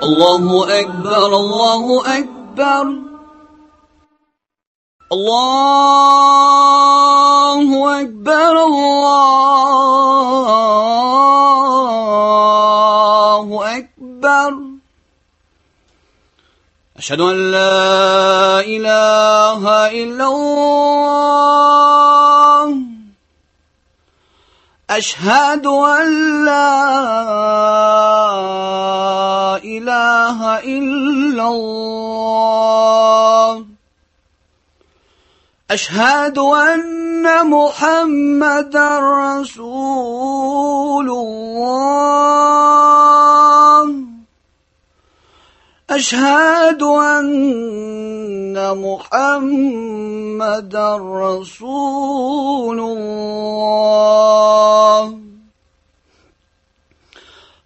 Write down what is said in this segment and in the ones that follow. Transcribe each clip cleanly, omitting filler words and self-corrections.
الله أكبر الله أكبر الله أكبر الله أكبر أشهد أن لا إله إلا الله أشهد أن لا إله إلا الله أشهد أن محمدا رسول الله أشهد أن محمدا رسول الله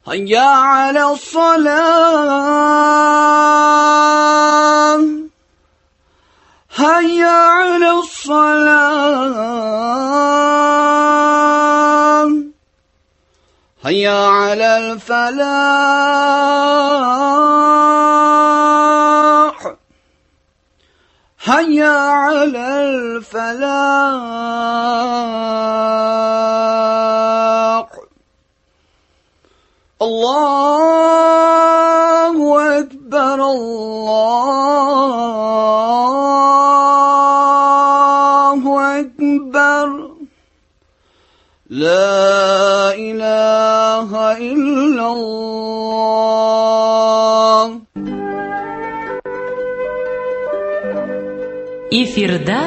هيا على الصلاة هيا على الصلاة هيا على الفلاح هيا على الفلاح الله أكبر الله أكبر لا إله إلا الله. Эфирда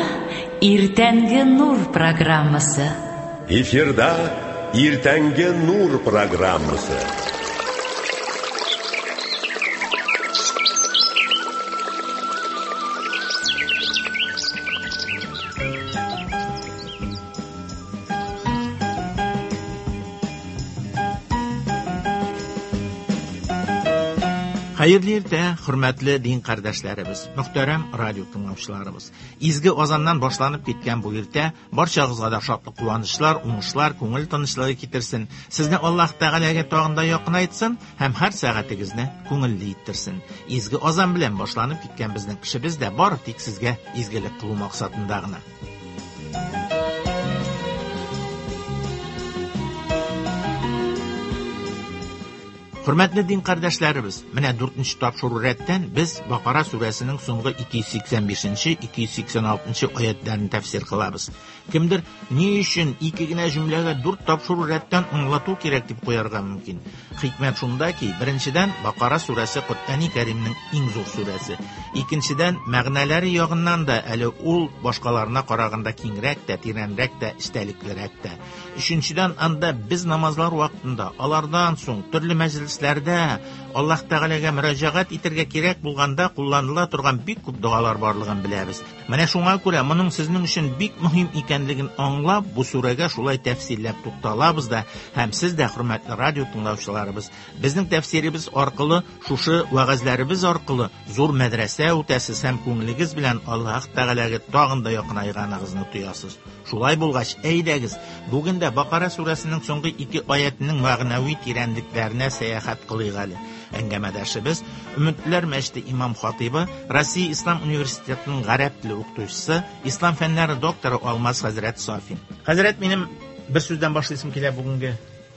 Иртәнге Нур программасы. Эфирда Иртәнге Нур программасы. Хәерле иртә, хөрмәтле дин кардәшләребез, мөхтәрәм радио тыңлаучыларыбыз. Изге азаннан башланып киткән бу иртә барчагызга да шатлык, куанычлар, уңышлар, күңел тынычлыгы китерсен. Сезне Аллаһ Тәгаләгә тагын да якынайтсын һәм һәр сәгатегезне күңелле иттерсен. Изге азан белән башланып киткән безнең эшебез дә бары тик сезгә изгелек кылу максатында гына. Хөрмәтле дин кардәшләребез, менә 4нче тапшыру рәттән без Бакара сүрәсенең соңгы 285-286 аятларын тәфсир кылабыз. Кемдер ни өчен ике генә җөмләгә 4 тапшыру рәттән аңлату кирәк дип куярга мөмкин. Хикмәт шунда ки, беренчедән, Бакара сүрәсе Коръәни Кәримнең иң зур сүрәсе. Икенчедән, мәгънәләре ягыннан да әле ул башкаларына караганда киңрәк тә, тирәнрәк тә, эчтәлеклерәк тә. Өченчедән, анда без намазлар вакытында, алардан соң төрле мәҗлесләрдә Аллаһ Тәгаләгә мөрәҗәгать итәргә кирәк булганда кулланыла торган бик күп догалар барлыгын беләбез. Менә шуңа күрә моның сезнең өчен бик мөһим икәнлеген аңлап, бу сүрәгә шулай тәфсилләп тукталабыз да, һәм сез дә, хөрмәтле радио тыңлаучыларыбыз, безнең тәфсиребез аркылы, шушы вәгазьләребез аркылы зур мәдрәсә үтәсез һәм күңелегез белән Аллаһ Тәгаләгә тагын да якынайганыгызны тоясыз. Шулай булгач, әйдәгез, бүген дә Бакара сүрәсенең соңгы ике аятының мәгънәви тирәнлекләренә сәяхәт кылыйк әле. Әңгәмәдәшебез Өметләр мәчете имам хатибы, Россия Ислам университетының гарәп теле укытучысы, ислам фәннәре докторы Алмаз хәзрәт Сафин. Хәзрәт, минем бер сүздән башлыйсым килә бүгенге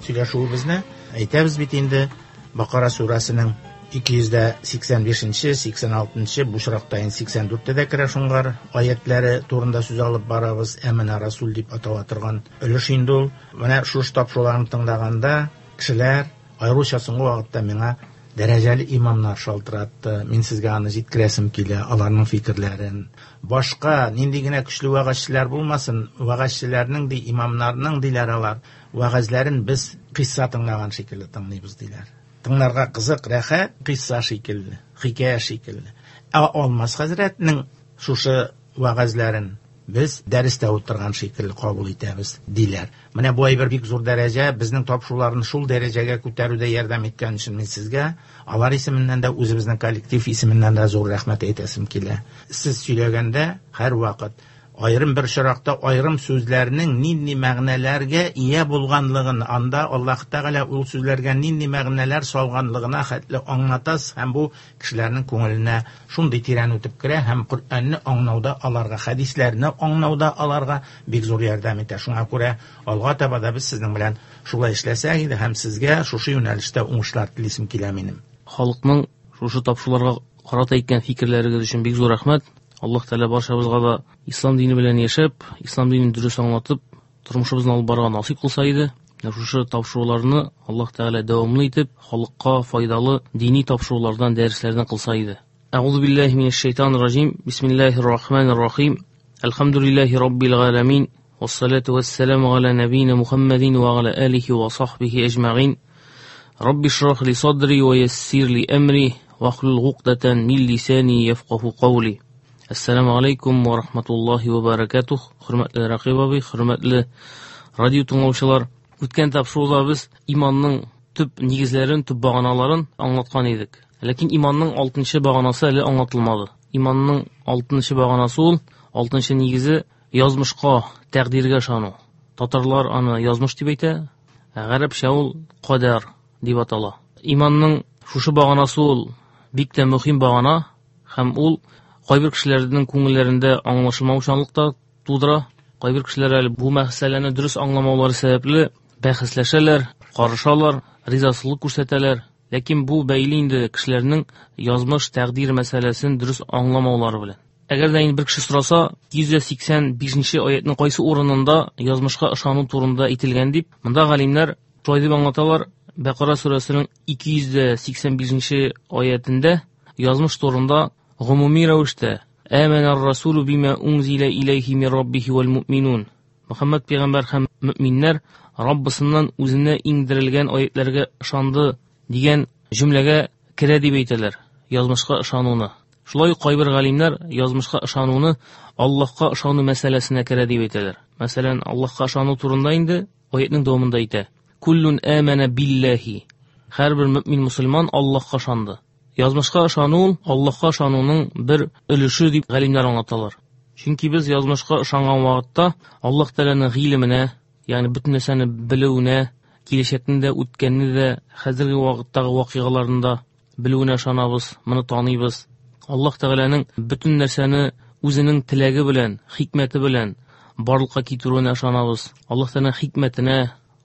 сөйләшүебезне. Әйтәбез бит инде, Бакара сүрәсенең 285-нче, 86-нчы, бу очракта инде 84-тә дә керә шуңгар аятлары турында сүз алып барабыз. Әмина Расул дип атала торган өлеш инде ул. Менә шушы тапшыруларны тыңлаганда кешеләр, аеруча соңгы вакытта миңа дәрәҗәле имамнар шалтыратты. Мин сезгә аны җиткерәсем килә, аларның фикерләрен. Башка нинди генә көчле вәгазьчеләр булмасын, вәгазьчеләрнең ди, имамнарның диләр алар, вәгазьләрен без кыйсса тыңлаган шикелле тыңлыйбыз диләр. Тыңларга кызык, рәхәт, кыйсса шикелле, хикәя шикелле. Ә Алмаз хәзрәтнең шушы вәгазьләрен без дәрестә утырган шикелле кабул итәбез диләр. Менә бу әйбер бик зур дәрәҗә, безнең тапшыруларны шул дәрәҗәгә күтәрүдә ярдәм иткән өчен мин сезгә, алар исеменнән дә, үзебезнең коллектив исеменнән дә зур рәхмәт әйтәсем килә. Сез сөйләгәндә һәрвакыт Аерым бер очракта аерым сүзләрнең нинди мәгънәләргә ия булганлыгын, анда Аллаһ Тәгалә ул сүзләргә нинди мәгънәләр салганлыгына хәтле аңлатасыз һәм бу кешеләрнең күңеленә шундый тирән үтеп керә һәм Коръәнне аңлауда аларга, хәдисләрне аңлауда аларга бик зур ярдәм итә. Шуңа күрә алга таба да без сезнең белән шулай эшләсәк иде һәм сезгә шушы юнәлештә уңышлар телисем килә минем. Халыкның шушы тапшыруларга карата әйткән фикерләрегез өчен бик зур рәхмәт. Аллаһ Тәгалә барчабызга да ислам дине белән яшәп, ислам динен дөрес аңлатып, тормышыбызны алып барырга насыйп кылса иде. Менә шушы тапшыруларны Аллаһ Тәгалә дәвамлы итеп, халыкка файдалы дини тапшырулардан, дәресләрдән кылса иде. Әгъузу биллаһи минәш шайтанир раҗим. Бисмиллаһир рахманир рахим. Әлхәмдүлиллаһи раббил галәмин. Вассалату вассаламу аля набийна Мухаммадин ва аля алихи ва сахбихи әҗмәгин. Рабби шрах ли садри ва яссир ли әмри вахлул гукдатан мин лисани яфкаху каули. Ассаламу алейкум ва рахматуллахи ва баракатух. Хөрмәтле Рәкыйп абый, хөрмәтле радио тыңлаучылар, үткән тапшыруда без иманның төп нигезләрен, төп баганаларын аңлаткан идек. Ләкин иманның 6-нчы баганасы әле аңлатылмады. Иманның 6-нчы баганасы ул, 6-нчы нигезе язмышка, тәкъдиргә ышану. Татарлар аны язмыш дип әйтә, ә гарәпчә ул кадәр дип атала. Иманның шушы баганасы ул бик тә мөһим багана һәм ул кайбер кешеләрнең күңелләрендә аңлашылмаучанлык та тудыра. Кайбер кешеләр әле бу мәсьәләне дөрес аңламаулары сәбәпле бәхәсләшәләр, карышалар, ризасызлык күрсәтәләр. Ләкин бу бәйле инде кешеләрнең язмыш, тәкъдир мәсьәләсен дөрес аңламаулары белән. Әгәр дә инде бер кеше сораса, 185 аятның кайсы урынында язмышка ышану турында әйтелгән дип, монда галимнәр шулай дип аңлаталар. Бәкара сүрәсенең 285 аятендә язмыш турында гомуми рәвештә Әмәнәр расулу бима унзила иләйһи мин раббихи вәл муъминун. Мөхәммәд пәйгамбәр һәм мөминнәр Раббысыннан үзенә иңдерелгән аятларга ышанды дигән җөмләгә керә дип әйтәләр язмышка ышануны. Шулай ук кайбер галимнәр язмышка ышануны Аллаһка ышану мәсьәләсенә керә дип әйтәләр. Мәсәлән, Аллаһка ышану турында инде аятның дәвамында әйтә. Куллун амана биллаһи. Һәрбер мөмин мусульман Аллаһка ышанды. Язмышка ышану ул Аллаһка ышануның бер өлеше дип галимнәр аңлаталар. Чөнки без язмышка ышанган вакытта Аллаһ Тәгаләнең гыйлеменә, ягъни бөтен нәрсәне белүенә, киләчәкне дә, үткәнне дә, хәзерге вакыттагы вакыйгаларны да белүенә ышанабыз, моны таныйбыз. Аллаһ Тәгаләнең бөтен нәрсәне үзенең теләге белән, хикмәте белән барлыкка китерүенә ышанабыз. Аллаһ Тәгаләнең хикмәтенә,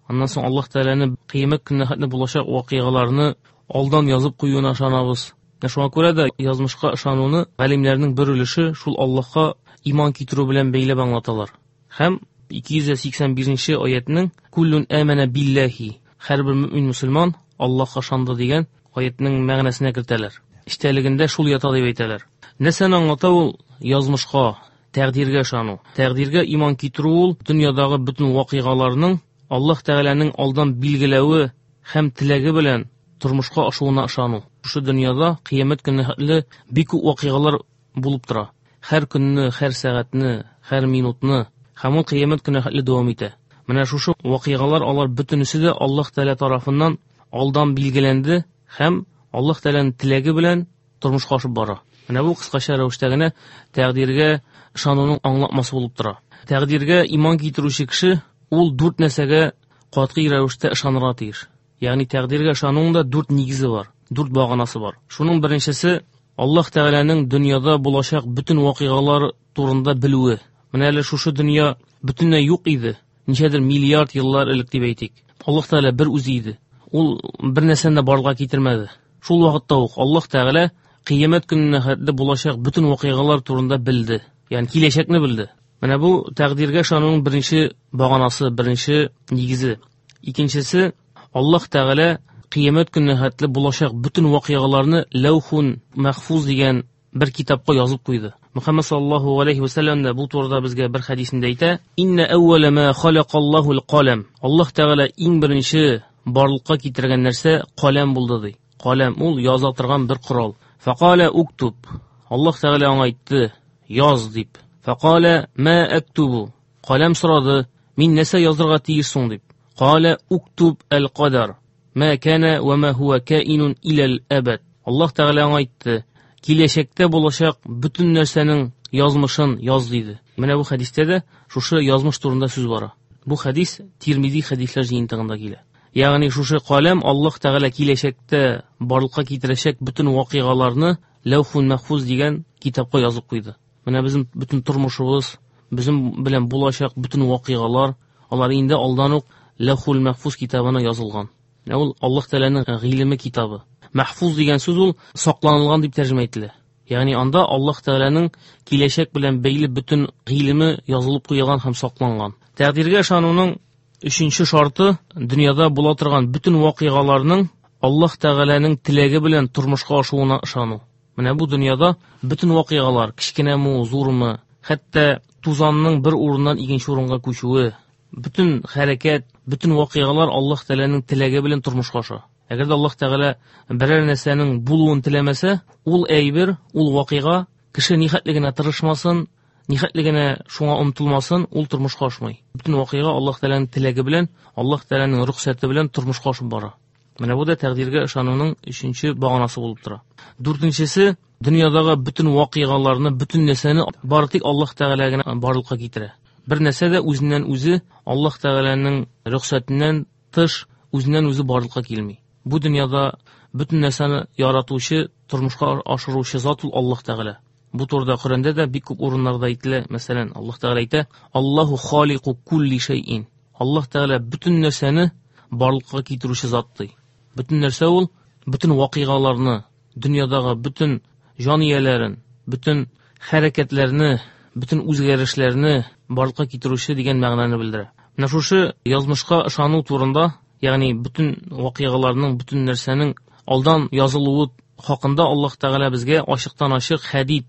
аннан соң Аллаһ Тәгаләнең кыямәт көненә хәтле булачак вакыйгаларны алдан язып куюына ышанабыз. Менә шуңа күрә дә язмышка ышануны галимнәрнең бер өлеше шул Аллаһка иман китерү белән бәйләп аңлаталар. Һәм 285 аятның Куллун амана биллаһи, һәрбер мөмин мусульман Аллаһка ышанды дигән аятның мәгънәсенә кертәләр. Эчтәлегендә шул ята дип әйтәләр. Нәрсәне аңлата ул язмышка, тәкъдиргә ышану? Тәкъдиргә иман китерү ул дөньядагы бөтен вакыйгаларның Аллаһ Тәгаләнең алдан билгеләве һәм теләге белән тормышка ашуына ышану. Шушы дөньяда кыямәт көненә хәтле бик күп вакыйгалар булып тора. Һәр көнне, һәр сәгатьне, һәр минутны һәм ул кыямәт көненә хәтле дәвам итә. Менә шушы вакыйгалар алар бөтенесе дә Аллаһ Тәгалә тарафыннан алдан билгеләнде һәм Аллаһ Тәгаләнең теләге белән тормышка ашып бара. Менә бу кыскача рәвештә генә тәкъдиргә ышануның аңлатмасы булып тора. Тәкъдиргә иман китерүче кеше ул дүрт нәрсәгә катгый рәвештә ышанырга тиеш. Ягъни тәкъдиргә ышануның да дүрт нигезе бар, дүрт баганасы бар. Шуның беренчесе Аллаһ Тәгаләнең дөньяда булачак бөтен вакыйгалар турында белүе. Менә әле шушы дөнья бөтенләй юк иде, ничәдер миллиард еллар элек дип әйтик. Аллаһ Тәгалә бер үзе иде. Ул бер нәрсәне дә барлыкка китермәде. Шул вакытта ук Аллаһ Тәгалә кыямәт көненә хәтле булачак бөтен вакыйгалар турында белде. Ягъни киләчәкне белде. Менә бу тәкъдиргә ышануның беренче баганасы, беренче нигезе. Икенчесе, Аллаһ Тәгалә кыямәт көненә хәтле булачак бөтен вакыйгаларны Ләүхун Мәхфуз дигән бер китапка язып куйды. Мөхәммәд саллаллаһу алейхи ва сәлләм дә бу турыда безгә бер хәдисендә әйтә: Инна әүвәлә ма халакаллаһу ал-калам. Аллаһ Тәгалә иң беренче барлыкка китергән нәрсә каләм булды ди. Каләм ул яза торган бер корал. Фақала уктуб. Аллаһ Тәгалә аңа әйтте: яз дип. Фақала ма актубу. Каләм сорады: мин нәрсә язырга тиеш соң дип. Кала уктуб ал-кадар. Ма кана ва ма хуа каинун илал абад. Аллаһ Тәгалә аңа әйтте: киләчәктә булачак бөтен нәрсәнең язмышын яз диде. Менә бу хәдистә дә шушы язмыш турында сүз бара. Бу хәдис Тирмизи хәдисләр җыентыгында килә. Ягъни шушы каләм Аллаһ Тәгалә киләчәктә барлыкка китерәчәк бөтен вакыйгаларны Ләүхул Мәхфуз дигән китапка язып куйды. Менә безнең бөтен тормышыбыз, безнең белән булачак бөтен вакыйгалар, алар инде алдан ук Ләүхул Мәхфуз китабына язылган. Менә ул Аллаһ Тәгаләнең гыйлеме китабы. Мәхфуз дигән сүз ул сакланылган дип тәрҗемә ителә. Ягъни анда Аллаһ Тәгаләнең киләчәк белән бәйле бөтен гыйлеме язылып куелган һәм сакланган. Тәкъдиргә ышануның өченче шарты дөньяда була торган бөтен вакыйгаларның Аллаһ Тәгаләнең теләге белән тормышка ашуына ышану. Менә бу дөньяда бөтен вакыйгалар, кечкенәме, зурмы, хәтта тузанның бер урыннан икенче урынга күчүе, бөтен хәрәкәт, бөтен вакыйгалар Аллаһ Тәгаләнең теләге белән тормышка аша. Әгәр дә Аллаһ Тәгалә берәр нәрсәнең булуын теләмәсә, ул әйбер, ул вакыйга кеше нихәтле генә тырышмасын, нихәтле генә шуңа омтылмасын, ул тормышка ашмый. Бөтен вакыйга Аллаһ Тәгаләнең теләге белән, Аллаһ Тәгаләнең рөхсәте белән тормышка ашып бара. Менә бу да тәкъдиргә ышануның өченче баганасы булып тора. Дүртенчесе, дөньядагы бөтен вакыйгаларны, бөтен нәрсәне бары тик Аллаһ Тәгалә генә барлыкка китерә. Бер нәрсә дә үзеннән үзе Аллаһ Тәгаләнең рөхсәтеннән тыш үзеннән үзе барлыкка килми. Бу дөньяда бөтен нәрсәне яратучы, тормышка ашыручы зат ул Аллаһ Тәгалә. Бу турыда Коръәндә дә бик күп урыннарда әйтелә. Мәсәлән, Аллаһ Тәгалә әйтә: "Аллаһу халику кулли шәйин". Аллаһ Тәгалә бөтен нәрсәне барлыкка китерүче зат ди. Бөтен нәрсә ул бөтен вакыйгаларны, дөньядагы бөтен җан ияләрен, бөтен хәрәкәтләрне, бөтен үзгәрешләрне барлыкка китерүче дигән мәгънәне белдерә. Менә шушы язмышка ышану турында, ягъни бөтен вакыйгаларның, бөтен нәрсәнең алдан язылуы хакында Аллаһ Тәгалә безгә ачыктан-ачык Хәдид,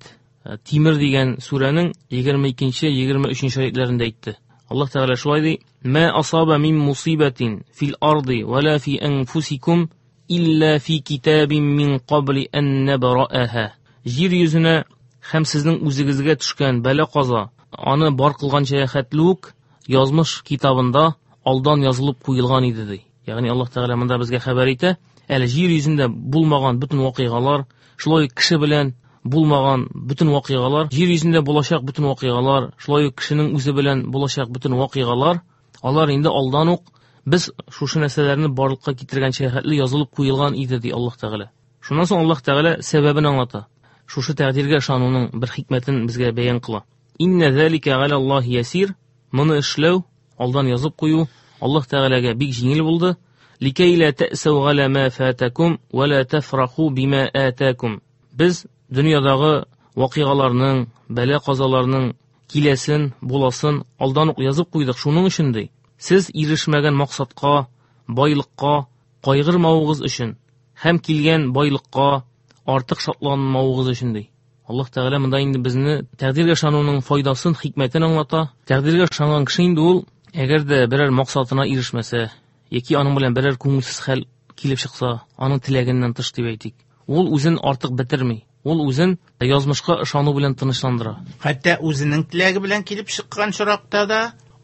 Тимер дигән сүрәнең 22-23 аятләрендә әйтте. Аллаһ Тәгалә шулай ди: "Ма асаба мин мусибатин фил арди ва ла фи анфусикум илля фи китабин мин кабли ан набрааха". Җир йөзенә һәм сезнең үзегезгә төшкән бәла-каза аны бар кылганча хәтле үк язмыш китабында алдан язылып куелган иде ди. Ягъни Аллаһ Тәгалә монда безгә хәбәр итә, әле җир йөзендә булмаган бөтен вакыйгалар, шулай ук кеше белән булмаган бөтен вакыйгалар, җир йөзендә булачак бөтен вакыйгалар, шулай ук кешенең үзе белән булачак бөтен вакыйгалар, алар инде алдан ук без шушы нәрсәләрне барлыкка китергәнчә хәтле язылып куелган иде ди Аллаһ Тәгалә. Шуннан соң Аллаһ Тәгалә сәбәбен аңлата. Шушы тәкъдиргә ышануның бер хикмәтен безгә бәян кыла. Инна залика галя Аллаһи ясир. Моны эшләү, алдан язып кую Аллаһ Тәгаләгә бик җиңел булды. Ликәй ла тәсәү галя ма фатакум ва ла тафраху бима атакум. Без дөньядагы вакыйгаларның, бәла-казаларның киләсен, буласын алдан ук язып куйдык. Шуның өчен ди, сез ирешмәгән максатка, байлыкка кайгырмавыгыз өчен һәм килгән байлыкка артык шатланмавыгыз өчен ди. Аллаһ Тәгалә монда инде безне тәкъдиргә ышануның файдасын, хикмәтен аңлата. Тәкъдиргә ышанган кеше инде ул, әгәр дә берәр максатына ирешмәсә, яки аның белән берәр күңелсез хәл килеп чыкса, аның теләгеннән тыш дип әйтик, ул үзен артык бетерми. Ул үзен язмышка ышану белән тынычландыра. Хәтта үзенең теләге белән килеп чыккан очракта да,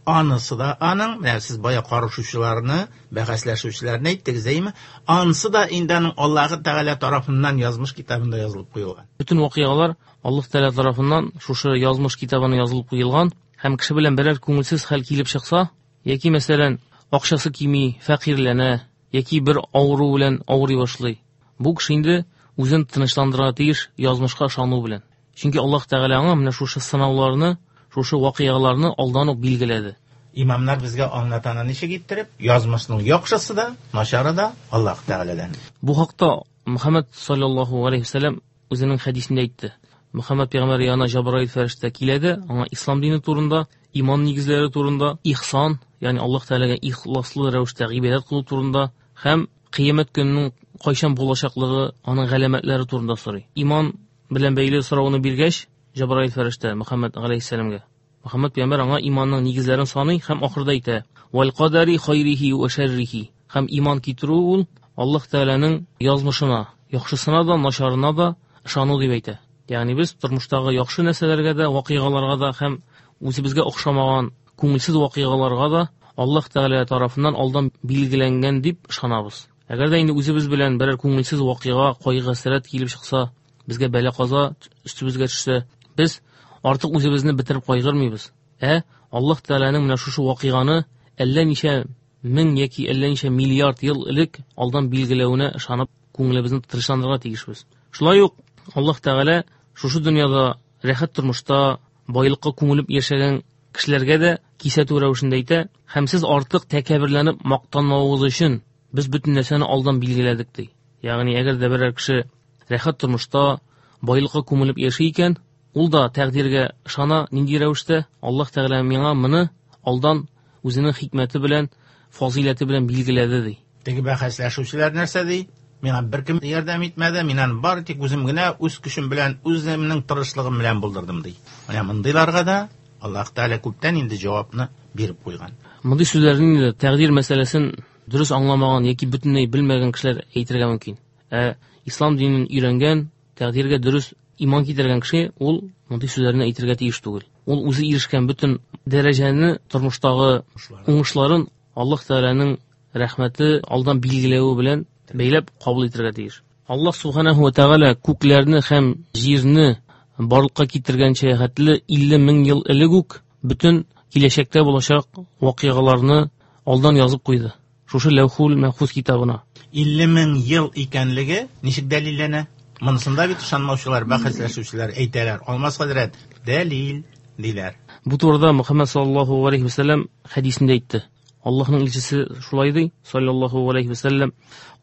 анысы да аның, менә сез бая карышучыларны, бәхәсләшүчеләрне әйттегез, әйме? Анысы да инде аның Аллаһы Тәгалә тарафыннан язмыш китабында язылып куелган. Бөтен вакыйгалар Аллаһ Тәгалә тарафыннан шушы язмыш китабына язылып куелган һәм кеше белән берәр күңелсез хәл килеп чыкса, яки мәсәлән, акчасы кими, фәкыйрьләнә, яки бер авыру белән авырый башлый. Бу кеше инде үзен тынычландырырга тиеш язмышка ышану белән. Чөнки Аллаһ Тәгалә аңа менә шушы сынауларны, шушы вакыйгаларны алдан ук билгеләде. Имамнар безгә аңлатаны ничек иттереп, язмышның яхшысы да, начары да Аллаһ Тәгаләдән. Бу хакта Мөхәммәд саллаллаһу алейхи ва сәлләм үзенең хәдисендә әйтте. Мөхәммәд пәйгамбәр янына Җабраил фәрештә килә дә, аңа ислам дине турында, иман нигезләре турында, ихсан, ягъни Аллаһ Тәгаләгә ихласлы рәвештә гыйбадәт кылу турында һәм кыямәт көненең кайчан булачаклыгы, аның галәмәтләре турында сорый. Иман белән бәйле сорауны биргәч, Җабраил фәрештә Мөхәммәд галәйһиссәламгә, Мөхәммәд пәйгамбәр аңа иманның нигезләрен саный һәм ахырда әйтә: "Вал кадари хайрихи ва шәррихи". Һәм иман китерү ул Аллаһ Тәгаләнең язмышына, яхшысына да, начарына да ышану дип әйтә. Ягъни без тормыштагы яхшы нәрсәләргә дә, вакыйгаларга да һәм үзебезгә охшамаган күңелсез вакыйгаларга да Аллаһ Тәгалә тарафыннан алдан билгеләнгән дип ышанабыз. Әгәр дә инде үзебез белән берәр күңелсез вакыйга, кайгы-хәсрәт килеп чыкса, безгә бәла-каза өстебезгә төшсә, без артык үзебезне бетереп кайгырмыйбыз. Ә Аллаһ Тәгаләнең менә шушы вакыйганы әллә ничә мең яки әллә ничә миллиард ел элек алдан билгеләвенә ышанып, күңелебезне тынычландырырга тиешбез. Шулай ук Аллаһ Тәгалә шушы дөньяда рәхәт тормышта, байлыкка күмелеп яшәгән кешеләргә дә кисәтү рәвешендә әйтә: "Һәм сез артык тәкәбберләнеп мактанмавыгыз өчен без бөтен нәрсәне алдан билгеләдек", ди. Ягъни әгәр дә берәр кеше рәхәт тормышта, байлыкка күмелеп яши икән, ул да тәкъдиргә ышана, нинди рәвештә Аллаһ Тәгалә миңа моны алдан үзенең хикмәте белән, фазыйләте белән билгеләде, ди. Теге бәхәсләшүчеләр нәрсә ди? Миңа беркем ярдәм итмәде, мин аны бары тик үзем генә, үз көчем белән, үземнең тырышлыгым белән булдырдым, ди. Менә мондыйларга да Аллаһ Тәгалә күптән инде җавапны биреп куйган. Мондый сүзләрне инде тәкъдир мәсьәләсен дөрес аңламаган яки бөтенләй белмәгән кешеләр әйтергә мөмкин. Ә ислам динен өйрәнгән, тәкъдиргә дөрес иман китергән кеше ул мондый сүзләрне әйтергә тиеш түгел. Ул үзе ирешкән бөтен дәрәҗәне, тормыштагы уңышларын Аллаһ Тәгаләнең рәхмәте алдан билгеләве белән бәйләп кабул итәргә тиеш. Аллаһ Субханаһу ва Тәгалә күкләрне һәм җирне барлыкка китергәнчә хәтле 50 мең ел элек үк бөтен киләчәктә булачак вакыйгаларны алдан язып куйды. Шушы Ләүхул Мәхфуз китабына. 50 мең ел икәнлеге ничек дәлилләнә? Монысында бит ышанмаучылар, бәхәсләшүчеләр әйтәләр. Алмаз хәзрәт, дәлил диләр. Бу турыда Мөхәммәд саллаллаһу алейхи ва сәлләм хәдисендә әйтте. Аллаһның илчесе шулай ди, саллаллаһу алейхи ва сәлләм: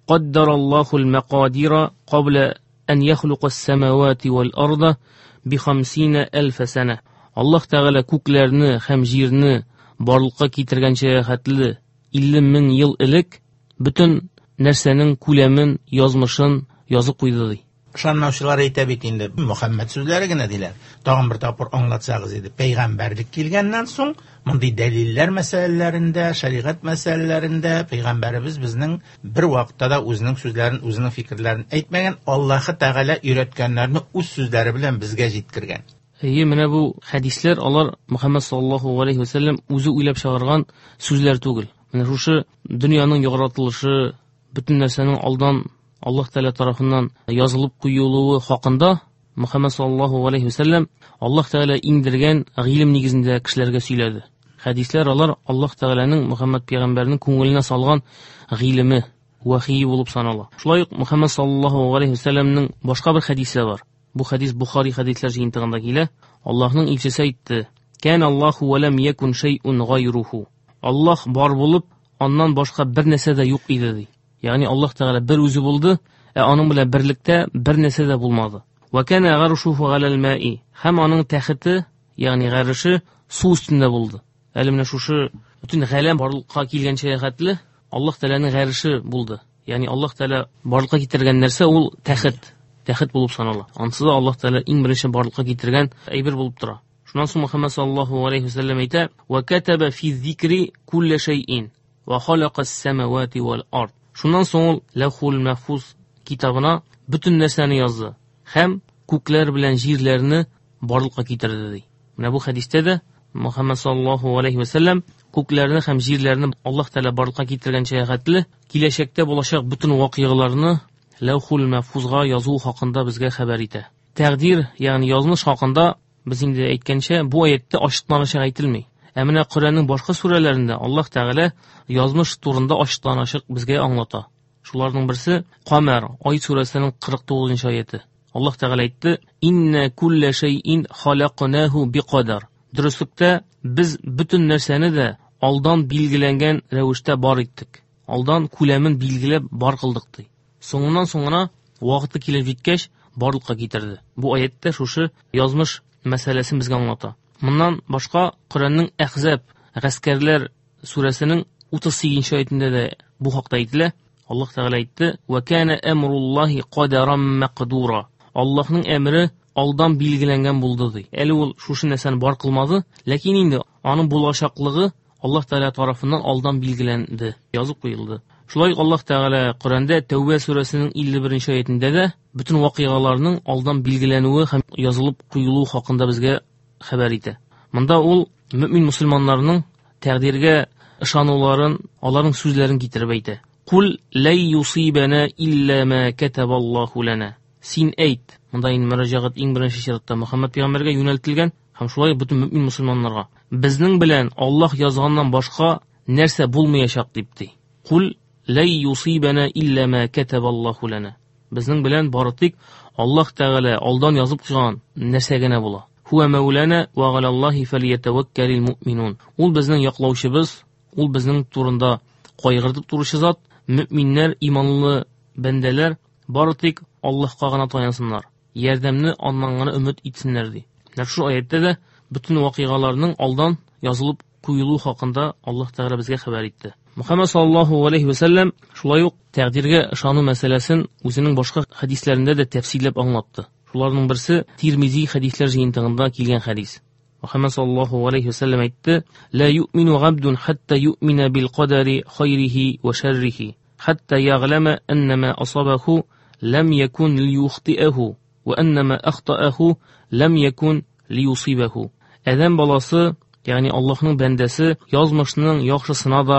"Каддараллаһул мәкадира кабла ан яхлука ас-самавати вал арда би 50 алф сана." Аллаһ Тәгалә күкләрне һәм җирне барлыкка китергәнчә хәтле 50 мең ел элек бөтен нәрсәнең күләмен, язмышын язып куйды, ди. Ышанмаучылар әйтә бит инде, Мөхәммәд сүзләре генә диләр. Тагын бер тапкыр аңлатсагыз иде, пәйгамбәрлек килгәннән соң мондый дәлилләр мәсьәләләрендә, шәригать мәсьәләләрендә пәйгамбәребез безнең бер вакытта да үзенең сүзләрен, үзенең фикерләрен әйтмәгән, Аллаһы Тәгалә өйрәткәннәрне үз сүзләре белән безгә җиткергән. Әйе, менә бу хәдисләр алар Мөхәммәд саллаллаһу алейхи ва сәлләм үзе уйлап чыгарган сүзләр түгел. Менә шушы дөньяның яратылышы, бөтен нәрсәнең алдан Аллаһ Тәгалә тарафыннан язылып куелуы хакында Мөхәммәд саллаллаһу алейхи ва сәлләм Аллаһ Тәгалә иңдергән гыйлем нигезендә кешеләргә сөйләде. Хәдисләр алар Аллаһ Тәгаләнең Мөхәммәд пәйгамбәрнең күңеленә салган гыйлеме, вахие булып санала. Шулай ук Мөхәммәд саллаллаһу алейхи ва сәлләмнең башка бер хәдисе бар. Бу хәдис Бухари хәдисләр җыентыгында килә. Аллаһның илчесе әйтте: "Кан Аллаһу ва лам якун шайъун гайруху." Аллаһ бар булып, аннан башка бер нәрсә дә юк иде, ди. Ягъни Аллаһ Тәгалә бер үзе булды, ә аның белән берлектә бер нәрсә дә булмады. Ва кана гаршуху галал маи. Һәм аның тәхете, ягъни гарше су өстендә булды. Әле менә шушы бөтен галәм барлыкка килгәнчә хәтле Аллаһ Тәгаләнең гарше булды. Ягъни Аллаһ Тәгалә барлыкка китергән нәрсә ул тәхет, тәхет булып санала. Ансыз да Аллаһ Тәгалә иң беренче барлыкка китергән әйбер булып тора. Шуннан соң Мөхәммәд саллаллаһу алейхи ва сәлләм әйтә: "Ва катаба фи зикри кулла шайин ва халака ас-самавати вал ард." Шуннан соң ул Ләүхул Мәхфуз китабына бөтен нәрсәне язды һәм күкләр белән җирләрне барлыкка китерде, ди. Менә бу хәдистә дә Мөхәммәд саллаллаһу алейхи ва сәлләм күкләрне һәм җирләрне Аллаһ Тәгалә барлыкка китергәнчә хәтле киләчәктә булачак бөтен вакыйгаларны Ләүхул Мәхфузга язу хакында безгә хәбәр итә. Тәкъдир, ягъни язмыш хакында без инде әйткәнчә, бу аятта ачыктан-ачык әйтелми. Ә менә Коръәннең башка сүрәләрендә Аллаһ Тәгалә язмыш турында ачыктан-ачык безгә аңлата. Шуларның берсе Камәр, Ай сүрәсенең 49-нчы аяты. Аллаһ Тәгалә әйтте: "Инна кулла шайин халакнаху биқадар." Дөреслектә без бөтен нәрсәне дә алдан билгеләнгән рәвештә бар иттек. Алдан күләмен билгеләп бар кылдык, ди. Соңыннан соңына вакыты килеп җиткәч барлыкка китерде. Бу аятта шушы язмыш мәсьәләсен безгә аңлата. Моннан башка Коръәннең Әхзаб, гаскәрләр сүрәсенең 38-нче аятында да бу хакта әйтелә. Аллаһ Тәгалә әйтте: "Ва кана амруллаһи кадаран мәкдура." Аллаһның әмре алдан билгеләнгән булды, ди. Әле ул шушы нәрсәне бар кылмады, ләкин инде аның булачаклыгы Аллаһ Тәгалә тарафыннан алдан билгеләнде, язып куелды. Шулай ук Аллаһ Тәгалә Коръәндә Тәүбә сүрәсенең 51-нче аятендә дә бөтен вакыйгаларның алдан билгеләнүе һәм язылып куелуы хакында безгә хәбәр итә. Монда ул мөмин мусульманнарның тәкъдиргә ышануларын, аларның сүзләрен китереп әйтә. Кул лай юсибана илля ма катабаллаху лана. Син әйт. Монда инде мөрәҗәгать иң беренче чиратта Мөхәммәд пәйгамбәргә юнәлтелгән. Һәм шулай бөтен мөмин мусульманнарга. Безнең белән Аллаһ язганнан башка нәрсә булмаячак дип ди. Кул ләй юсибана илля ма катабаллаху лана. Безнең белән бары тик Аллаһ Тәгалә алдан язып куйган нәрсә генә була. Хуа мәүлана ва галаллаһи фалиятаваккалил муъминун. Ул безнең яклаучыбыз, ул безнең турында кайгыртып торучы зат. Мөминнәр, иманлы бәндәләр бары тик Аллаһка гына таянсыннар. Ярдәмне аннан гына өмет итсеннәр ди. Нәкъ шул аятта да бөтен вакыйгаларның алдан язылып куелу хакында Аллаһ Тәгалә безгә хәбәр итте. Мөхәммәд саллаллаһу алейхи ва сәлләм шулай ук тәкъдиргә ышану мәсьәләсен үзенең башка хәдисләрендә дә тәфсилләп аңлатты. Шуларның берсе Тирмизи хәдисләр җыентыгында килгән хәдис. Мөхәммәд саллаллаһу алейхи ва сәлләм әйтте: "Ла юъмину габдун хатта юъмина бил кадари хайрихи ва шәррихи, хатта яглама анна асабаху лам якун лиюхтиаху ва анна ахтааху лам якун лиюсибаху." Адәм баласы, ягъни Аллаһның бәндәсе, язмышның яхшысына да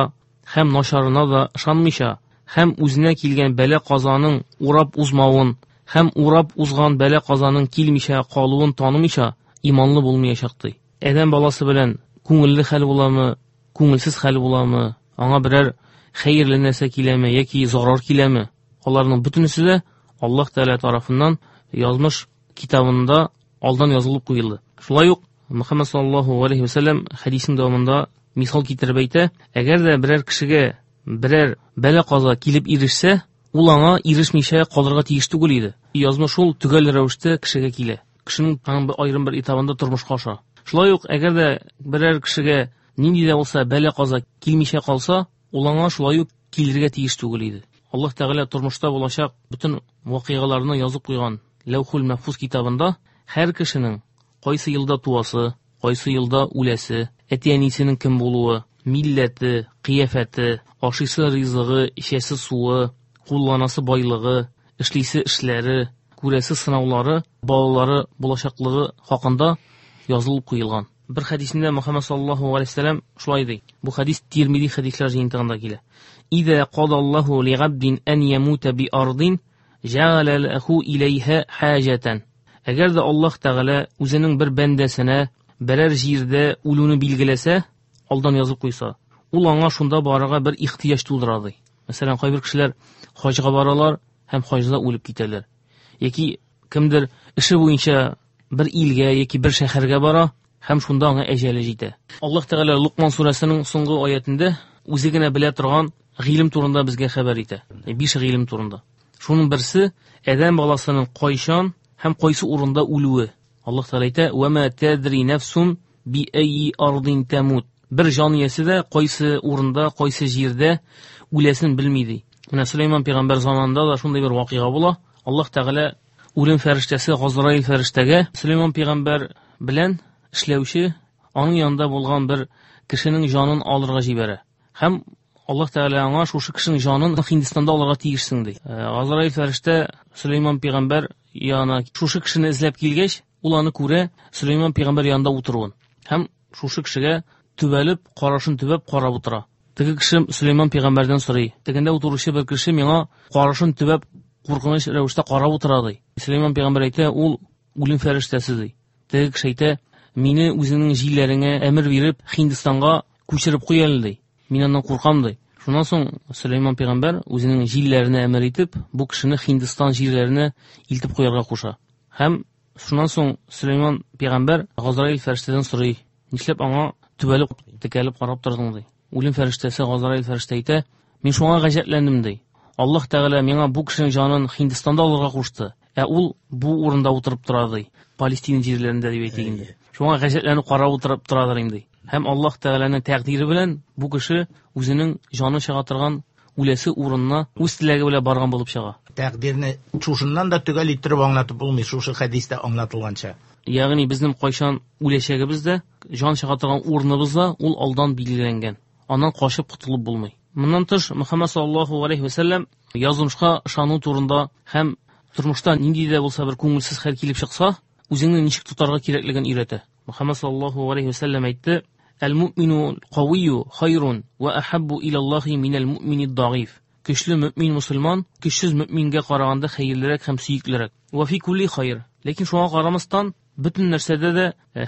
һәм начарына да ышанмыйча, һәм үзенә килгән бәла-казаның урап узмавын, һәм урап узган бәла-казаның килмичә калуын танымыйча, иманлы булмаячак ди. Адәм баласы белән күңелле хәл буламы, күңелсез хәл буламы, аңа берәр хәерле нәрсә киләме яки зарар киләме? Аларның бөтенесе дә Аллаһ Тәгалә тарафыннан язмыш китабында алдан язылып куелды. Шулай ук Мөхәммәд саллаллаһу алейхи ва сәлләм хәдисен дәвамында мисал китереп әйтә, әгәр дә берәр кешегә берәр бәла-каза килеп ирешсә, ул аңа ирешмичә калырга тиеш түгел иде. Язмыш ул төгәл рәвештә кешегә килә. Кешенең аның бер аерым бер этабында тормышка аша. Шулай ук әгәр дә берәр кешегә нинди дә булса бәла-каза килмичә калса, ул аңа шулай ук килергә тиеш түгел иде. Аллаһ Тәгалә тормышта булачак бөтен вакыйгаларны язып куйган Ләүхул Мәхфуз китабында һәр кешенең кайсы елда туасы, кайсы елда үләсе, әти-әнисенең кем булуы, милләте, кыяфәте, ашыйсы ризыгы, эчәсе суы, кулланасы байлыгы, эшлисе эшләре, күрәсе сынаулары, балалары булачаклыгы хакында язылып куелган. Бер хәдисендә Мөхәммәд саллаллаһу алейһи ва сәлләм шулай ди. Бу хәдис Тирмизи хәдисләр җыентыгында килә. Иза кадаллаһу лигабдин ан ямута би ардин җәгалә ләһу иләйһа хаҗатан. Әгәр дә Аллаһ Тәгалә үзенең бер бәндәсенә берәр җирдә үлүне билгеләсә, алдан язып куйса, ул аңа шунда барырга бер ихтыяҗ тудыра ди. Мәсәлән, кайбер кешеләр хаҗга баралар һәм хаҗда үлеп китәләр. Яки кемдер эше буенча бер илгә яки бер шәһәргә бара һәм шунда аңа әҗәле җитә. Аллаһ Тәгалә Лукман сүрәсенең соңгы аятендә үзе генә белә торган гыйлем турында безгә хәбәр итә. 5 гыйлем турында. Шуның берсе адәм баласының кайчан һәм кайсы урында үлүе. Аллаһ Тәгалә әйтә: "Ва ма тадри нафсун би айи ардин тамут." Бер җан иясе дә кайсы урында, кайсы җирдә үләсен белми ди. Менә Сөләйман пәйгамбәр заманында да шундый бер вакыйга була. Аллаһ Тәгалә үлем фәрештәсе Газраил фәрештәгә Сөләйман пәйгамбәр белән эшләүче, аның янында булган бер кешенең җанын алырга җибәрә. Һәм Аллаһ Тәгалә аңа шушы кешенең җанын Һиндстанда алырга тиешсең ди. Газраил фәрештә Сөләйман пәйгамбәр янына шушы кешене эзләп килгәч, ул аны күрә Сөләйман пәйгамбәр янында утыруын. Һәм шушы кешегә төбәлеп, карашын төбәп карап утыра. Теге кеше Сөләйман пәйгамбәрдән сорый. Тегендә утыручы бер кеше миңа карашын төбәп куркыныч рәвештә карап утыра ди. Сөләйман пәйгамбәр әйтә, ул үлем фәрештәсе ди. Теге кеше әйтә, мине үзеңнең җилләреңә әмер биреп Һиндстанга күчереп куй әле ди. Мин аннан куркам ди. Шуннан соң Сөләйман пәйгамбәр үзенең җилләренә әмер итеп, бу кешене Һиндстан җирләренә илтеп куярга куша. Һәм шуннан соң Сөләйман пәйгамбәр Газраил фәрештәдән сорый, нишләп аңа төбәлеп, текәлеп карап тордың ди. Үлем фәрештәсе Газраил фәрештә әйтә, мин шуңа гаҗәпләндем ди. Аллаһ Тәгалә миңа бу кешенең җанын Һиндстанда алырга кушты, ә ул бу урында утырып тора ди. Палестина җирләрендә дип әйтик инде. Шуңа гаҗәпләнеп карап утырып торадыр инде. Һәм Аллаһ Тәгаләнең тәкъдире белән бу кеше үзенең җаны чыга торган үләсе урынына үз теләге белән барган булып чыга. Тәкъдирне шушыннан да төгәл иттереп аңлатып булмый, шушы хәдистә аңлатылганча. Ягъни безнең кайчан үләчәгебез дә, җан чыга торган урыныбыз да ул алдан билгеләнгән. Аннан качып котылып булмый. Моннан тыш Мөхәммәд саллаллаһу алейхи ва сәлләм язмышка ышану турында һәм тормышта нинди дә булса бер күңелсез хәл килеп чыкса, үзеңне ничек тотарга кирәклеген өйрәтә. Мөхәммәд саллаллаһу алейхи ва сәлләм әйтте: "Әл-муъмину кавийю хайрун ва ахаббу илаллаһи минәл муъмини даиф." Көчле мөмин мусульман көчсез мөмингә караганда хәерлерәк һәм сөеклерәк. Ва фи кулли хайр. Ләкин шуңа карамастан, Бөтен нәрсәдә дә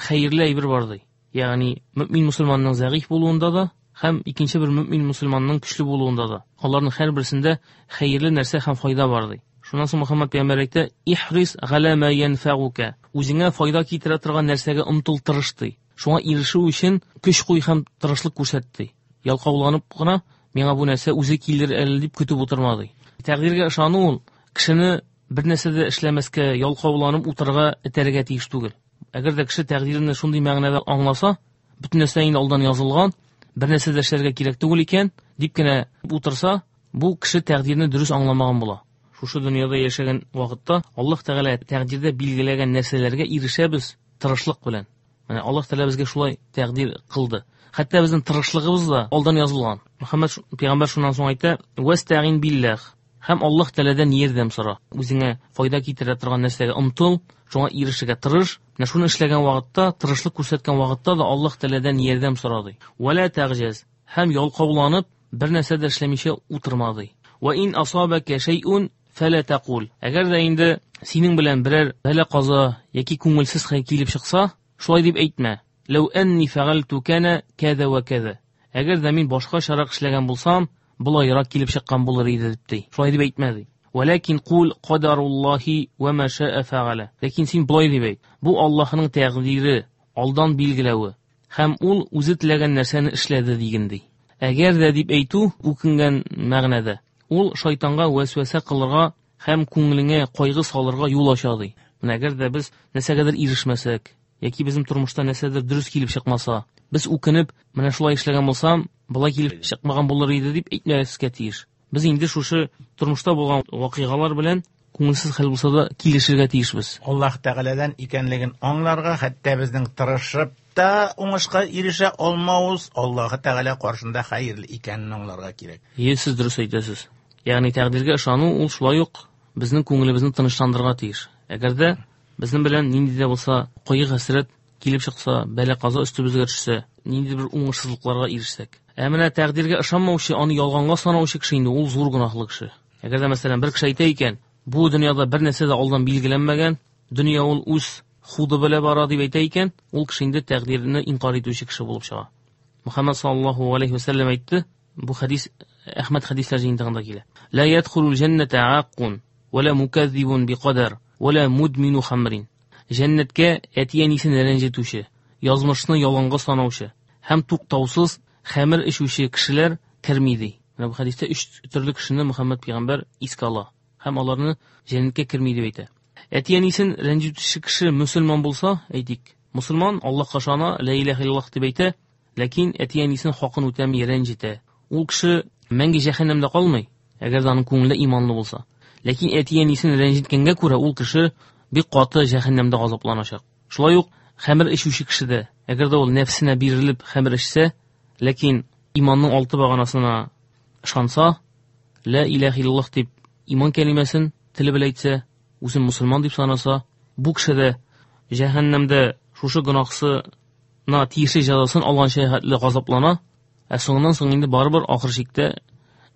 хәерле әйбер бар ди. Ягъни мөмин мусульманның зәгыйфь булуында да һәм икенче бер мөмин мусульманның көчле булуында да. Аларның һәрберсендә хәерле нәрсә һәм файда бар ди. Шуннан соң Мөхәммәд пәйгамбәр әйтә: "Ихрис галя ма янфагука." Үзеңә файда китерә торган нәрсәгә омтыл, тырыш ди. Шуңа ирешү өчен көч куй һәм тырышлык күрсәт ди. Ялкауланып кына миңа бу нәрсә үзе килер әле дип көтеп утырма ди. Тәкъдиргә ышану ул кешене бер нәрсә дә эшләмәскә, ялкауланып утырырга этәрергә тиеш түгел. Әгәр дә кеше тәкъдирне шундый мәгънәдә аңласа, бөтен нәрсә инде алдан язылган, бер нәрсә дә эшләргә кирәк түгел икән, дип кенә утырса, бу кеше тәкъдирне дөрес аңламаган була. Шушы дөньяда яшәгән вакытта Аллаһ Тәгалә тәкъдирдә билгеләгән нәрсәләргә ирешәбез тырышлык белән. Менә Аллаһ Тәгалә безгә шулай тәкъдир кылды. Хәтта безнең тырышлыгыбыз да алдан язылган. Мөхәммәд пәйгамбәр шуннан соң әйтә: "Вәстәгин билләх." Һәм Аллаһ Тәгаләдән ярдәм сора. Үзеңә файда китерә торган нәрсәгә омтыл, шуңа ирешергә тырыш. Менә шуны эшләгән вакытта, тырышлык күрсәткән вакытта да Аллаһ Тәгаләдән ярдәм сора ди. Вәлә тәгъҗаз. Һәм ялкауланып бер нәрсә дә эшләмичә утырма ди. Ва ин асабака шәйъун фәлә тәкул. Әгәр дә инде синең белән берәр бәла-каза яки күңелсез хәл килеп чыкса, шулай дип әйтмә. Ләү әнни фәгальту кана кәзә вә кәзә. Әгәр дә мин башкачарак эшләгән булсам, болайрак килеп чыккан булыр иде дип ди. Шулай дип әйтмә ди. Вәләкин кул кадаруллаһи ва ма шаа фәгалә. Ләкин син болай дип әйт. Бу Аллаһның тәкъдире, алдан билгеләве. Һәм ул үзе теләгән нәрсәне эшләде диген ди. Әгәр дә дип әйтү үкенгән мәгънәдә. Ул шайтанга вәсвәсә кылырга һәм күңелеңә кайгы салырга юл ача ди. Менә әгәр дә без нәрсәгәдер ирешмәсәк, яки безнең тормышта нәрсәдер дөрес килеп чыкмаса, без үкенеп, менә шулай эшләгән булсам, болай килеп чыкмаган булыр иде дип әйтмәскә тиеш. Без инде шушы тормышта булган вакыйгалар белән күңелсез хәл булса да килешергә тиешбез. Аллаһ Тәгаләдән икәнлеген аңларга, хәтта безнең тырышып та уңышка ирешә алмавыз Аллаһ Тәгалә каршында хәерле икәнен аңларга кирәк. Е, сез дөрес әйтәсез. Ягъни тәкъдиргә ышану ул шулай ук безнең күңелебезне тынычландырырга тиеш. Әгәр дә безнең белән нинди дә булса кайгы-хәсрәт килеп чыкса, бәла-каза өстебезгә төшсә, нинди бер уңышсызлыкларга ирешсәк. Ә менә тәкъдиргә ышанмаучы, аны ялганга санаучы кеше инде ул зур гөнаһлы кеше. Әгәр дә мәсәлән бер кеше әйтә икән, бу дөньяда бер нәрсә дә алдан билгеләнмәгән, дөнья ул үз худы белән бара дип әйтә икән, ул кеше инде тәкъдирне инкар итүче кеше булып чыга. Мөхәммәд саллаллаһу алейхи ва сәлләм әйтте, бу хадис Әхмәд хадисләр җыентыгында килә. Ла ядхулул җәннәтә аккун, ва ла муказзибун биқадар, ва ла мудмину хамрин. Җәннәткә әти-әнисен рәнҗетүче, язмышны ялганга санаучы һәм туктаусыз хәмер эчүче кешеләр керми ди. Менә бу хадистә өч төрле кешене Мөхәммәд пәйгамбәр искә ала һәм аларны җәннәткә керми дип әйтә. Әти-әнисен рәнҗетүче кеше мөселман булса, әйтик, мөселман Аллаһка ышана, ла илаһа иллаллаһ дип әйтә, ләкин әти-әнисен хакын үтәми, рәнҗетә. Ул кеше мәңге җәһәннәмдә калмый, әгәр дә аның күңеле иманлы булса. Ләкин әти-әнисен рәнҗеткәнгә күрә ул кеше бик каты җәһәннәмдә газапланачак. Шулай ук хәмер эчүче кеше дә, әгәр дә ул нәфсенә бирелеп хәмер эчсә, ләкин иманның алты баганасына ышанса, ла илаһа иллаллаһ дип иман кәлимәсен теле белән әйтсә, үзен мусульман дип санаса, бу кеше дә җәһәннәмдә шушы гөнаһсына тиешле җәзасын алганча хәтле газаплана, ә соңыннан соң инде барыбер ахыр чиктә